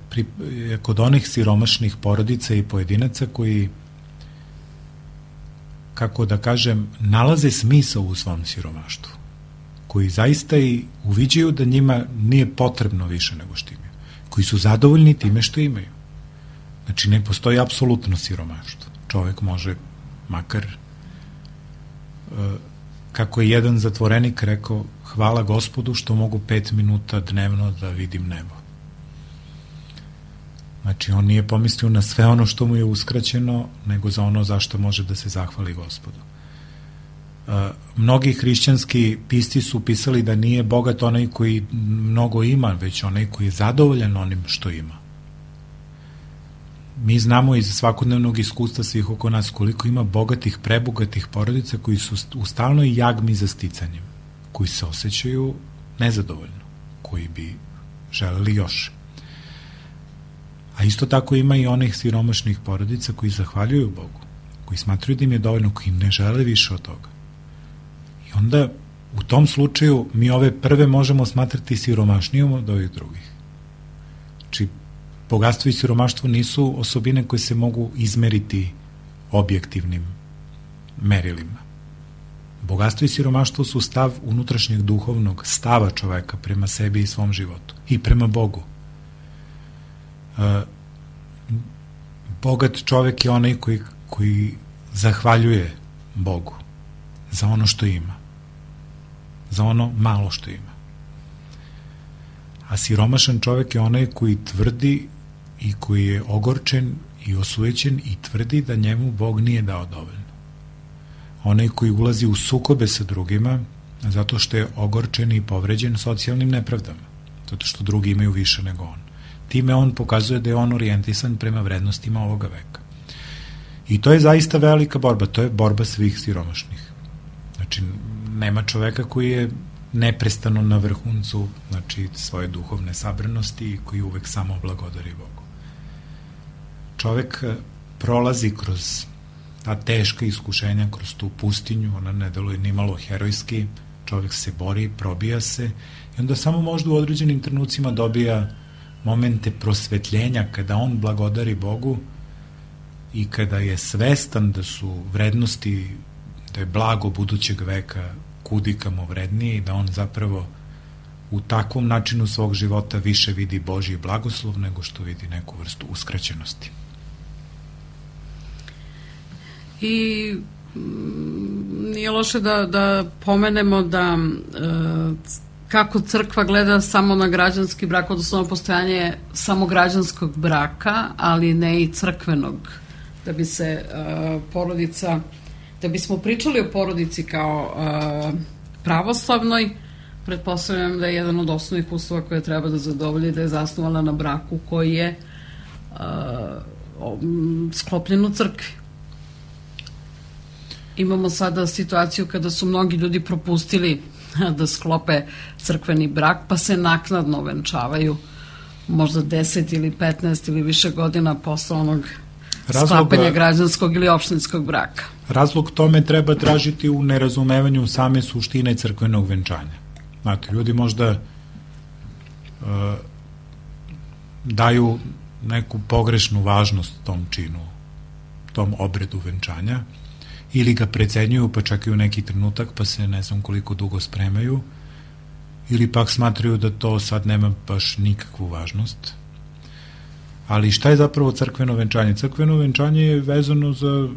kod onih siromašnih porodica i pojedinaca koji, kako da kažem, nalaze smisao u svom siromaštvu, koji zaista i uviđaju da njima nije potrebno više nego što imaju, koji su zadovoljni time što imaju. Znači, ne postoji apsolutno siromaštvo. Čovek može, makar, kako je jedan zatvorenik rekao, hvala Gospodu što mogu 5 minuta dnevno da vidim nebo. Znači, on nije pomislio na sve ono što mu je uskraćeno, nego za ono zašto može da se zahvali Gospodu. Mnogi hrišćanski pisci su pisali da nije bogat onaj koji mnogo ima, već onaj koji je zadovoljan onim što ima. Mi znamo iz svakodnevnog iskustva svih oko nas koliko ima bogatih, prebogatih porodica koji su u stalnoj jagmi za sticanjem, koji se osjećaju nezadovoljno, koji bi želeli još. A isto tako ima i onih siromašnih porodica koji zahvaljuju Bogu, koji smatruju da im je dovoljno, koji ne žele više od toga. I onda u tom slučaju mi ove prve možemo smatrati siromašnijom od ovih drugih. Znači, bogatstvo i siromaštvo nisu osobine koje se mogu izmeriti objektivnim merilima. Bogatstvo i siromaštvo su stav unutrašnjeg duhovnog stava čoveka prema sebi i svom životu i prema Bogu. Bogat čovek je onaj koji zahvaljuje Bogu za ono što ima, za ono malo što ima. A siromašan čovek je onaj koji tvrdi i koji je ogorčen i osujećen i tvrdi da njemu Bog nije dao dovoljno. Onaj koji ulazi u sukobe sa drugima zato što je ogorčen i povređen socijalnim nepravdama, zato što drugi imaju više nego on. Time on pokazuje da je on orijentisan prema vrednostima ovoga veka. I to je zaista velika borba, to je borba svih siromašnih. Znači, nema čoveka koji je neprestano na vrhuncu, znači, svoje duhovne sabranosti i koji uvek samo blagodari Bogu. Čovek prolazi kroz ta teška iskušenja, kroz tu pustinju, ona ne deluje ni malo herojski, čovek se bori, probija se i onda samo možda u određenim trenucima dobija momente prosvetljenja kada on blagodari Bogu i kada je svestan da su vrednosti, da je blago budućeg veka kudikamo vrednije i da on zapravo u takvom načinu svog života više vidi Božji blagoslov nego što vidi neku vrstu uskraćenosti. I nije loše da pomenemo da kako crkva gleda samo na građanski brak, odnosno na postojanje samo građanskog braka, ali ne i crkvenog, da bi se porodica, da bismo pričali o porodici kao pravoslavnoj, pretpostavljam da je jedan od osnovnih uslova koje treba da zadovolji da je zasnovala na braku koji je sklopljen u crkvi. Imamo sada situaciju kada su mnogi ljudi propustili da sklope crkveni brak, pa se naknadno venčavaju možda 10 ili 15 ili više godina posle onog sklapanja građanskog ili opštinskog braka. Razlog tome treba tražiti u nerazumevanju same suštine crkvenog venčanja. Znate, ljudi možda daju neku pogrešnu važnost tom činu, tom obredu venčanja, ili ga precenjuju pa čekaju neki trenutak pa se ne znam koliko dugo spremaju, ili pak smatraju da to sad nema baš nikakvu važnost. Ali šta je zapravo crkveno venčanje? Crkveno venčanje je vezano za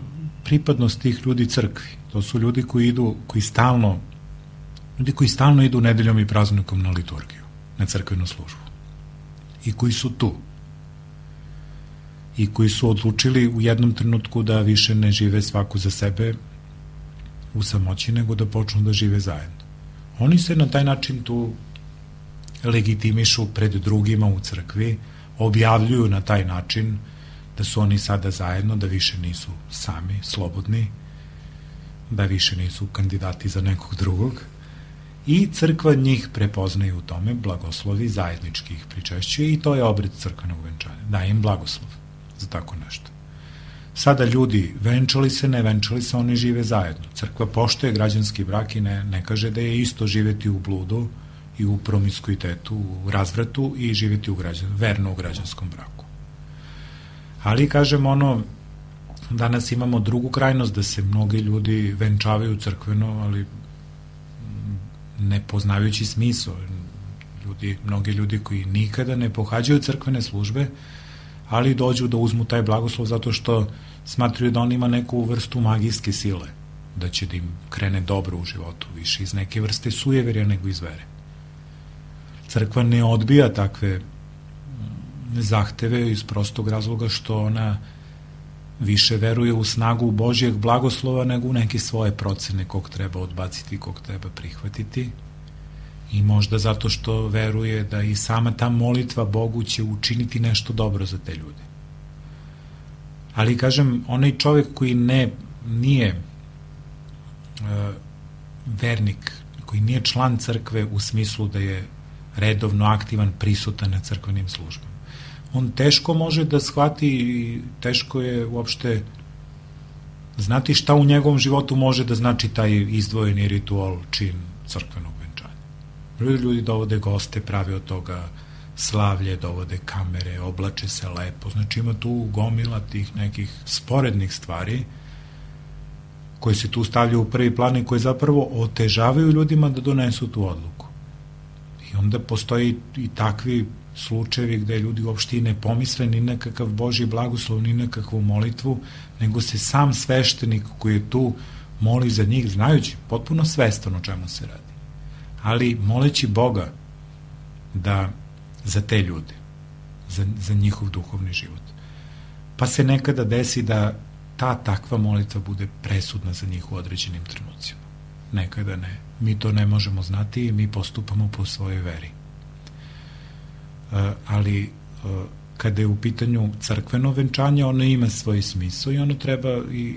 pripadnost tih ljudi crkvi. To su ljudi koji stalno idu nedeljom i praznikom na liturgiju, na crkvenu službu. I koji su tu. I koji su odlučili u jednom trenutku da više ne žive svaku za sebe u samoći, nego da počnu da žive zajedno. Oni se na taj način tu legitimišu pred drugima u crkvi, objavljuju na taj način da su oni sada zajedno, da više nisu sami, slobodni, da više nisu kandidati za nekog drugog, i crkva njih prepoznaje u tome, blagoslovi, zajednički ih pričešćuje, i to je obred crkvenog venčanja. Daje im blagoslov za tako nešto. Sada ljudi, venčali se, ne venčali se, oni žive zajedno. Crkva poštuje građanski brak i ne kaže da je isto živeti u bludu i u promiskuitetu, u razvratu, i živeti verno u građanskom braku. Ali, kažem, danas imamo drugu krajnost, da se mnogi ljudi venčavaju crkveno, ali ne poznavajući smisao. Mnogi ljudi koji nikada ne pohađaju crkvene službe, ali dođu da uzmu taj blagoslov zato što smatruju da on ima neku vrstu magijske sile, da će da im krene dobro u životu, više iz neke vrste sujeverja nego iz vere. Crkva ne odbija takve zahteve iz prostog razloga što ona više veruje u snagu Božjeg blagoslova nego u neke svoje procene kog treba odbaciti, kog treba prihvatiti, i možda zato što veruje da i sama ta molitva Bogu će učiniti nešto dobro za te ljude. Ali, kažem, onaj čovjek koji nije vernik, koji nije član crkve u smislu da je redovno aktivan, prisutan na crkvenim službama, on teško može da shvati i teško je uopšte znati šta u njegovom životu može da znači taj izdvojeni ritual, čin crkvenog venčanja. Ljudi dovode goste, prave od toga slavlje, dovode kamere, oblače se lepo, znači ima tu gomila tih nekih sporednih stvari koje se tu stavljaju u prvi plan i koje zapravo otežavaju ljudima da donesu tu odluku. I onda postoji i takvi slučajevi gde ljudi uopšte i ne pomisle ni nekakav Božji blagoslov, ni nekakvu molitvu, nego se sam sveštenik koji je tu moli za njih, znajući potpuno svestan o čemu se radi, ali moleći Boga da za te ljude, za njihov duhovni život. Pa se nekada desi da ta takva molitva bude presudna za njih u određenim trenucima. Nekada ne. Mi to ne možemo znati i mi postupamo po svojoj veri. Ali kada je u pitanju crkveno venčanje, ono ima svoj smisao i ono treba i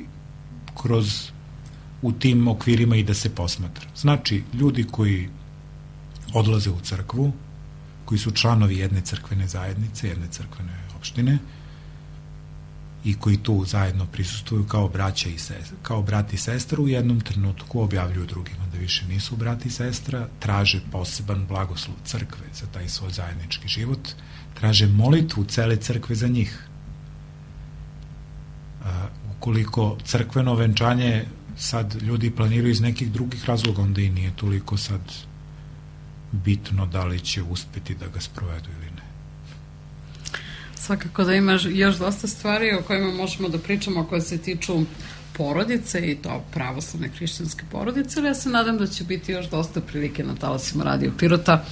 u tim okvirima i da se posmatra. Znači, ljudi koji odlaze u crkvu, koji su članovi jedne crkvene zajednice, jedne crkvene opštine i koji tu zajedno prisustvuju kao brat i sestra, u jednom trenutku objavljuju drugima da više nisu brat i sestra, traže poseban blagoslov crkve za taj svoj zajednički život, traže molitvu cele crkve za njih. Ukoliko crkveno venčanje sad ljudi planiraju iz nekih drugih razloga, onda i nije toliko sad bitno da li će uspeti da ga sprovedu ili ne. Svakako da imaš još dosta stvari o kojima možemo da pričamo, koje se tiču porodice i to pravoslavne hrišćanske porodice, ali ja se nadam da će biti još dosta prilike na talasima Radio Pirota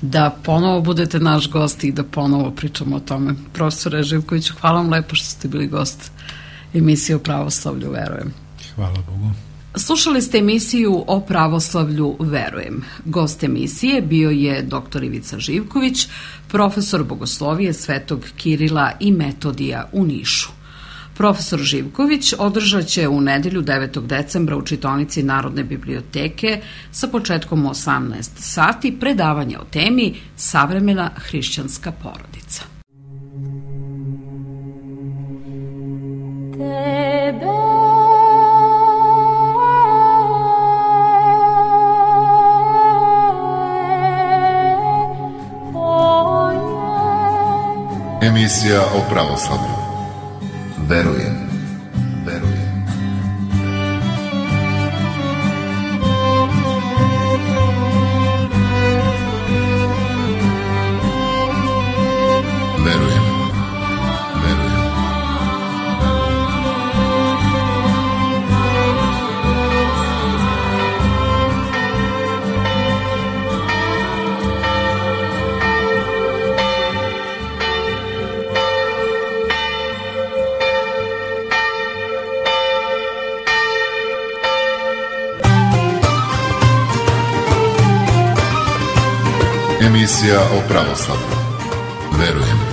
da ponovo budete naš gost i da ponovo pričamo o tome. Profesore Živkoviću, hvala vam lepo što ste bili gost emisije o pravoslavlju Verujem. Hvala Bogu. Slušali ste emisiju o pravoslavlju Verujem. Gost emisije bio je dr. Ivica Živković, profesor bogoslovije Svetog Kirila i Metodija u Nišu. Profesor Živković održat će u nedelju 9. decembra u čitaonici Narodne biblioteke sa početkom 18 sati predavanje o temi Savremena hrišćanska porodica. Emisija o pravoslavlju. Verujem. Verujem. Verujem. Emisija o pravoslavlju. Verujem.